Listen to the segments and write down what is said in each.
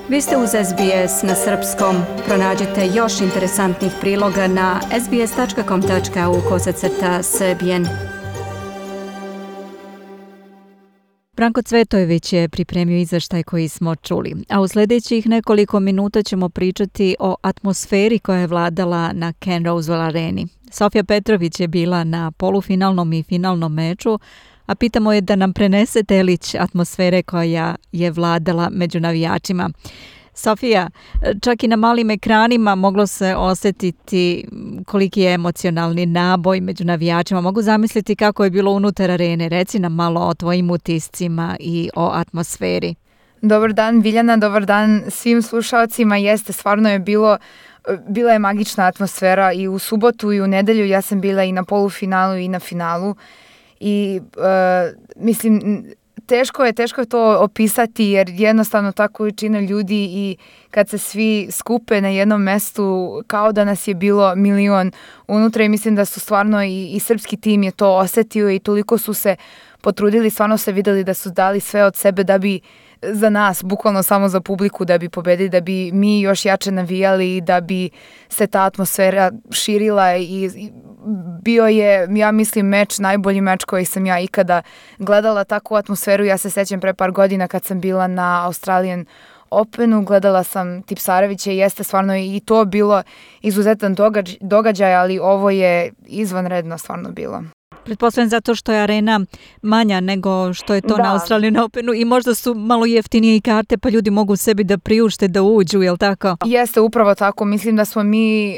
Vi ste uz SBS na srpskom. Pronađite još interesantnih priloga na sbs.com.au/srbijen. Branko Cvetojević je pripremio izveštaj koji smo čuli, a u sljedećih nekoliko minuta ćemo pričati o atmosferi koja je vladala na Ken Rosewell areni. Sofija Petrović je bila na polufinalnom i finalnom meču, a pitamo je da nam prenese delić atmosfere koja je vladala među navijačima. Sofija, čak i na malim ekranima moglo se osjetiti koliki je emocionalni naboj među navijačima. Mogu zamisliti kako je bilo unutar arene. Reci nam malo o tvojim utiscima i o atmosferi. Dobar dan Biljana, dobar dan svim slušalcima. Jeste, stvarno je bila je magična atmosfera i u subotu i u nedelju. Ja sam bila i na polufinalu i na finalu i mislim... Teško je to opisati jer jednostavno ta količina ljudi i kad se svi skupe na jednom mestu kao da nas je bilo milion unutra i mislim da su stvarno i srpski tim je to osetio i toliko su se potrudili, stvarno se videli da su dali sve od sebe da bi za nas, bukvalno samo za publiku da bi pobedili, da bi mi još jače navijali i da bi se ta atmosfera širila i bio je, ja mislim, najbolji meč koji sam ja ikada gledala, takvu atmosferu. Ja se sećam pre par godina kad sam bila na Australian Openu, gledala sam Tipsarevića i jeste stvarno i to bilo izuzetan događaj, ali ovo je izvanredno stvarno bilo. Pretpostavljam zato što je arena manja nego što je to na Australian Openu i možda su malo jeftinije i karte pa ljudi mogu sebi da priušte da uđu, je li tako? Jeste, upravo tako. Mislim da smo mi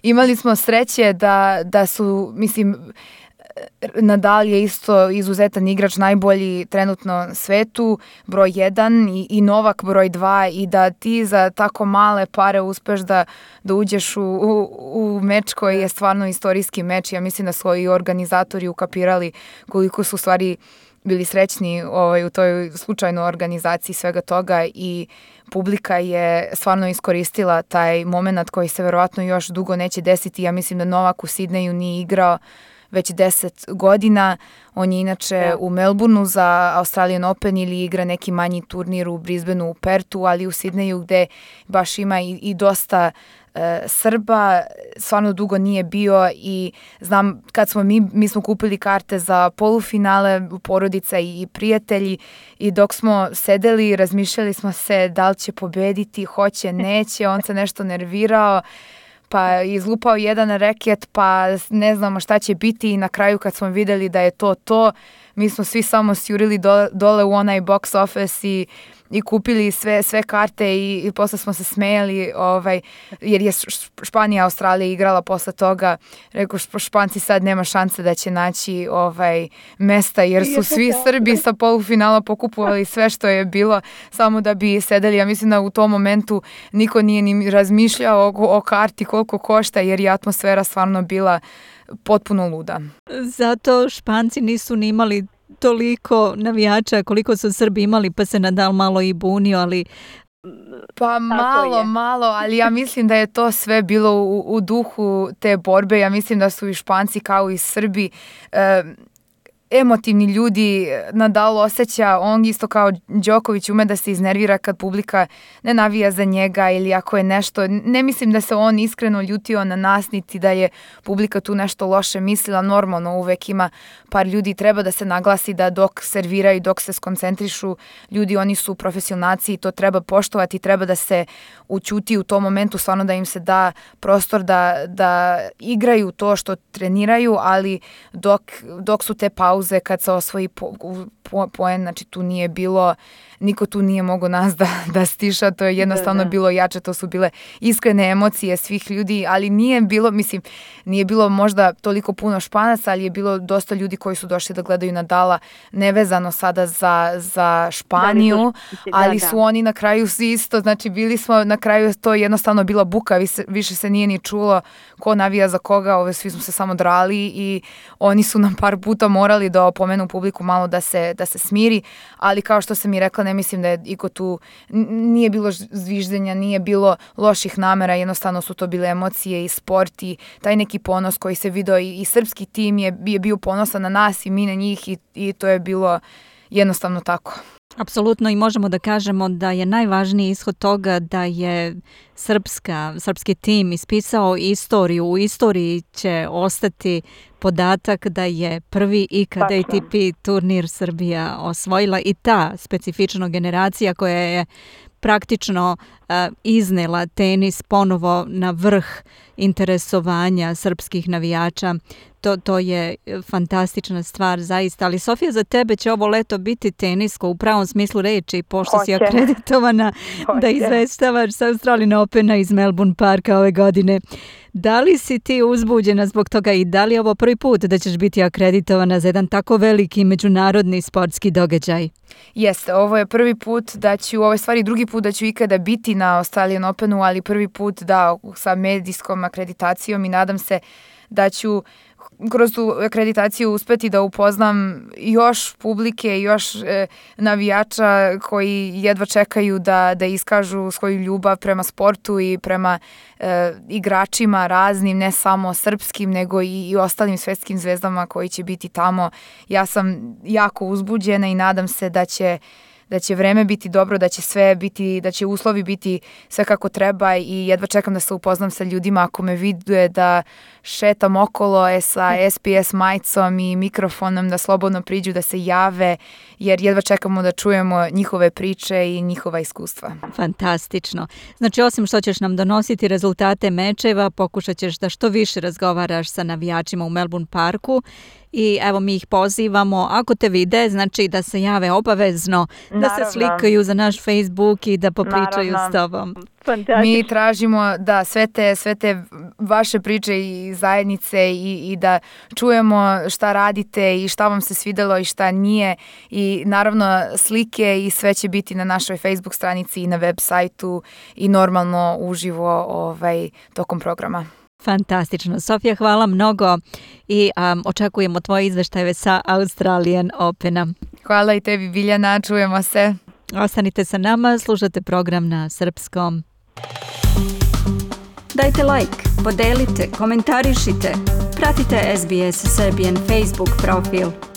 imali smo sreće da su, mislim, Nadal je isto izuzetan igrač, najbolji trenutno na svetu, broj 1 i Novak broj 2 i da ti za tako male pare uspeš da uđeš u meč koji je stvarno istorijski meč. Ja mislim da su i organizatori ukapirali koliko su stvari bili srećni u toj slučajnoj organizaciji svega toga i publika je stvarno iskoristila taj moment koji se verovatno još dugo neće desiti. Ja mislim da Novak u Sidneju nije igrao već 10 godina. On je inače u Melbourneu za Australian Open ili igra neki manji turnir u Brisbaneu, u Pertu, ali u Sidneju gde baš ima i dosta Srba, stvarno dugo nije bio i znam kad smo mi smo kupili karte za polufinale, porodica i prijatelji i dok smo sedeli razmišljali smo se da li će pobediti, hoće, neće, on se nešto nervirao pa izlupao jedan reket, pa ne znamo šta će biti i na kraju kad smo vidjeli da je to, mi smo svi samo sjurili dole u onaj box office i kupili sve karte i posle smo se smejali jer je Španija Australija igrala posle toga. Rekao, Španci sad nema šanse da će naći mesta jer su svi Srbi sa polufinala pokupovali sve što je bilo samo da bi sedeli. Ja mislim da u tom momentu niko nije ni razmišljao o karti koliko košta jer je atmosfera stvarno bila potpuno luda. Zato Španci nisu ni imali toliko navijača koliko su Srbi imali, pa se Nadal malo i bunio, ali... Pa malo, ali ja mislim da je to sve bilo u duhu te borbe. Ja mislim da su i Španci kao i Srbi emotivni ljudi. Nadal osjeća, on isto kao Đoković ume da se iznervira kad publika ne navija za njega ili ako je nešto. Ne mislim da se on iskreno ljutio na nas, niti da je publika tu nešto loše mislila. Normalno uvek ima par ljudi, treba da se naglasi da dok serviraju, dok se skoncentrišu ljudi, oni su profesionalci i to treba poštovati, treba da se ućuti u tom momentu, stvarno da im se da prostor da igraju to što treniraju, ali dok su te pauze kad se osvoji poen, znači tu nije bilo, niko tu nije mogao nas da stiša, to je jednostavno bilo jače, to su bile iskrene emocije svih ljudi, ali nije bilo možda toliko puno Španaca, ali je bilo dosta ljudi koji su došli da gledaju Nadala, nevezano sada za Španiju, ali su oni na kraju isto, znači bili smo na kraju, to je jednostavno bila buka, više se nije ni čulo ko navija za koga, svi smo se samo drali i oni su nam par puta morali da opomenu publiku malo da se smiri, ali kao što sam i rekla, ne mislim da je iko tu, nije bilo zviždenja, nije bilo loših namera, jednostavno su to bile emocije i sport i taj neki ponos koji se video i srpski tim je bio ponosan na nas i mi na njih i to je bilo jednostavno tako. Apsolutno, i možemo da kažemo da je najvažniji ishod toga da je srpski tim ispisao istoriju. U istoriji će ostati podatak da je prvi ikad ATP turnir Srbija osvojila i ta specifična generacija koja je praktično iznela tenis ponovo na vrh interesovanja srpskih navijača. To je fantastična stvar zaista, ali Sofija, za tebe će ovo leto biti tenisko u pravom smislu reči, pošto si akreditovana da izveštavaš sa Australian Opena iz Melbourne Parka ove godine. Da li si ti uzbuđena zbog toga i da li je ovo prvi put da ćeš biti akreditovana za jedan tako veliki međunarodni sportski događaj? Jeste, ovo je prvi put da ću, ovo je stvari drugi put da ću ikada biti na Australian Openu, ali prvi put da sa medijskom akreditacijom i nadam se da ću kroz tu akreditaciju uspeti da upoznam još publike, još navijača koji jedva čekaju da iskažu svoju ljubav prema sportu i prema igračima raznim, ne samo srpskim, nego i ostalim svetskim zvezdama koji će biti tamo. Ja sam jako uzbuđena i nadam se da će vreme biti dobro, da će sve biti, da će uslovi biti sve kako treba i jedva čekam da se upoznam sa ljudima ako me vide da šetam okolo sa SPS majicom i mikrofonom, da slobodno priđu, da se jave, jer jedva čekamo da čujemo njihove priče i njihova iskustva. Fantastično. Znači, osim što ćeš nam donositi rezultate mečeva, pokušat ćeš da što više razgovaraš sa navijačima u Melbourne Parku. I evo, mi ih pozivamo, ako te vide, znači da se jave obavezno, da se slikaju za naš Facebook i da popričaju s tobom. Mi tražimo da sve te vaše priče i zajednice i da čujemo šta radite i šta vam se svidelo i šta nije, i naravno slike i sve će biti na našoj Facebook stranici i na web sajtu i normalno uživo tokom programa. Fantastično. Sofija, hvala mnogo i očekujemo tvoje izveštaje sa Australian Opena. Hvala i tebi, Biljana, čujemo se. Ostanite sa nama, slušate program na srpskom. Dajte like, podelite, komentarišite, pratite SBS Serbian Facebook profil.